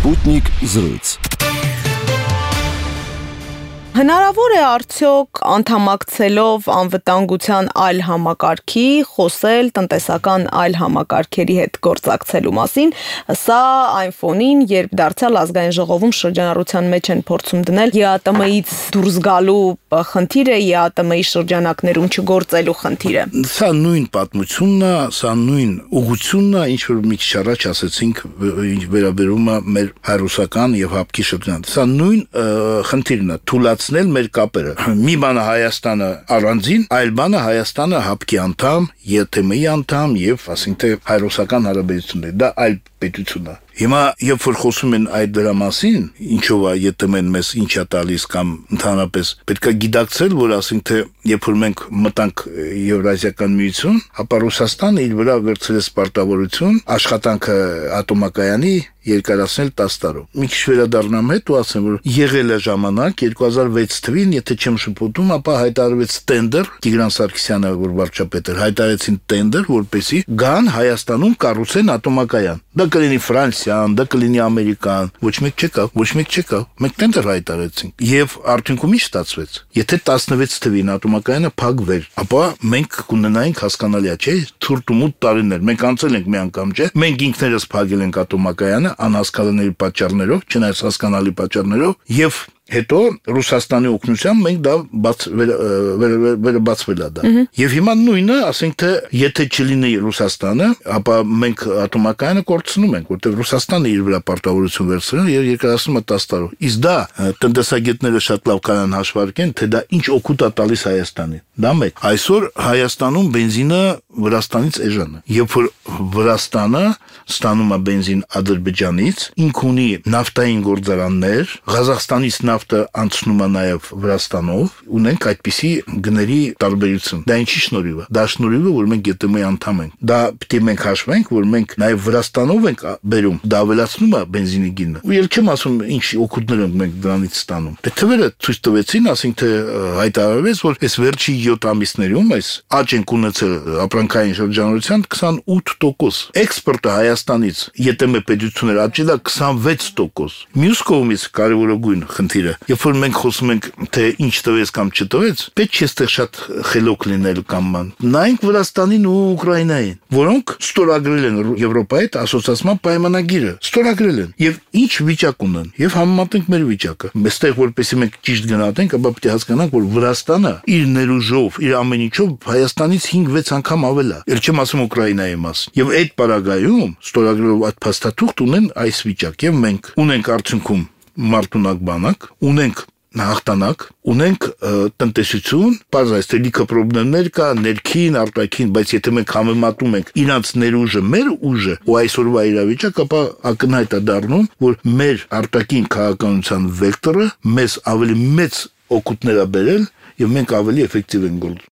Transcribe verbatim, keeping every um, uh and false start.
Sputnik զրույց։ Հնարավոր է արդյոք անդամակցելով անվտանգության այլ համակարգի խոսել տնտեսական այլ համակարգերի հետ գործակցելու մասին, սա այն ֆոնին, երբ դարձյալ ազգային ժողովում շրջանառության մեջ են փորձում դնել ԵԱՏՄ-ից դուրս գալու խնդիրը, ԵԱՏՄ-ի շրջանակներում չգործելու խնդիրը։ Սա նույն պատմությունն է, սա նույն ուղղությունն է, ինչ որ մի քիչ առաջ ասացինք, ինչ վերաբերում է մեր հայրուսական եւ հապկի շրջան։ Սա նույն խնդիրն է, թուլացնել մեր կապերը։ Մի բանը Հայաստանը առանձին, այլ բանը Հայաստանը հապկի անդամ, ԵԱՏՄ-ի անդամ եւ ասենք թե հայրուսական հարաբերություններ։ Դա այլ պետություն է։ Հիմա երբ որ խոսում են այդ դրա մասին, ինչով է ԵԱՏՄ-ն մեզ ինչ է տալիս կամ ընդհանրապես պետք է գիտակցել, որ ասենք թե երբ որ մենք մտանք Եվրազիական միություն, ապա Ռուսաստանը իր վրա վերցրեց պարտավորություն աշխատանքը ատոմակայանի երկարացնել տասը տարով։ Մի քիչ վերադառնամ հետ ու ասեմ, որ եղել է ժամանակ երկու հազար վեց թվականին, եթե չեմ շփոթում, ապա հայտարարվեց տենդեր, Տիգրան Սարգսյանը, որ վարչապետ էր, հայտարարեցին տենդեր, որպեսզի գան Հայաստանում կառուցեն ատոմակայան։ Դա կլինի Ֆրանսիան, դա կլինի Ամերիկան, ոչ մեկ չեկավ, ոչ մեկ չեկավ։ Մենք տենդեր հայտարարեցինք։ Եվ արդյունքում ինչ ստացվեց։ Եթե տասնվեց թվականին ատոմակայանը փակվեր, ապա մենք կունենայինք հասկանալի է, չէ՞, ցուրտ ու մութ տարիներ։ Մենք անցել ենք մի անգամ, չէ՞։ Մենք ինքներս փակել ենք ատոմակայանը անհասկանալի պատճառներով, չնայած հասկանալի պատճառներով, եւ հետո Ռուսաստանի օգնությամբ մենք դա բաց վերաբացվել է դա։ Եվ հիմա նույնը, ասենք թե եթե չլինի Ռուսաստանը, ապա մենք ատոմակայանը կորցնում ենք, որտեղ Ռուսաստանը իր վրա պարտավորություն վերցրել եւ երկարացնում է տասը տարով։ Իսկ դա տնտեսագետները շատ լավ կանան հաշվարկեն, թե դա ինչ օգուտ է տալիս Հայաստանին։ Դա մեկ։ Այսօր Հայաստանում բենզինը Վրաստանից էժան է։ Երբ որ Վրաստանը ստանում է բենզին Ադրբեջանից, ինք ունի նավթային գործարաններ, Ղազախստանից նավթը անցնում է նաև Վրաստանով, ունենք այդպիսի գների տարբերություն։ Դա ինչի շնորհիվ է։ Դա շնորհիվ է, որ մենք ԵԱՏՄ-ի անդամ ենք։ Դա պետք է մենք հաշվենք, որ մենք նաև Վրաստանով ենք բերում, դա ավելացնում է բենզինի գինը։ Ու ել չեմ ասում ինչ օգուտներ ենք մենք դրանից ստանում։ Դե թվերը ցույց տվեցին, ասենք թե հայտարարվեց, որ այս վերջի յոթ ամիսներում այս աճ ենք ունեցել ապրանքային շրջանառության քսանութ տոկոս։ Էքսպորտը Հայաստանից ԵԱՏՄ պետություններ աճել է քսանվեց տոկոս։ Մյուս կողմից կարևորագույն խնդիրը, երբ որ մենք խոսում ենք թե ինչ տվեց կամ չտվեց, պետք չէ այստեղ շատ խելոք լինել կամ ման։ Նայենք Վրաստանին ու Ուկրաինային, որոնք ստորագրել են Եվրոպայի հետ ասոցիացիան պայմանագիրը, ստորագրել են եւ ինչ վիճակ ունեն եւ համեմատենք մեր վիճակը։ Այստեղ որպեսզի մենք ճիշտ գնահատենք, ապա պետք է հասկանանք, որ Վրաստանը իր ներուժով, իր ամեն ինչով Հայաստանից հինգ-վեց անգամ ավել է։ Ել չեմ ասում Ուկրաինայի մասին։ Եվ այդ պարագայում ստորագրելով այդ փաստաթուղթ ունեն այս վիճակ եւ մենք ունենք արդյունքում մարտունակ բանակ, ունենք հաղթանակ, ունենք տնտեսություն, բարձրայց թե լիքը խնդիրներ կա, ներքին, արտաքին, բայց եթե մենք համեմատում ենք իրանց ներուժը, մեր ուժը ու այսօրվա իրավիճակը, ապա ակնհայտ է դառնում, որ մեր արտաքին քաղաքականության վեկտորը մեզ ավելի մեծ օգուտներ է բերել եւ մենք ավելի էֆեկտիվ ենք գործում։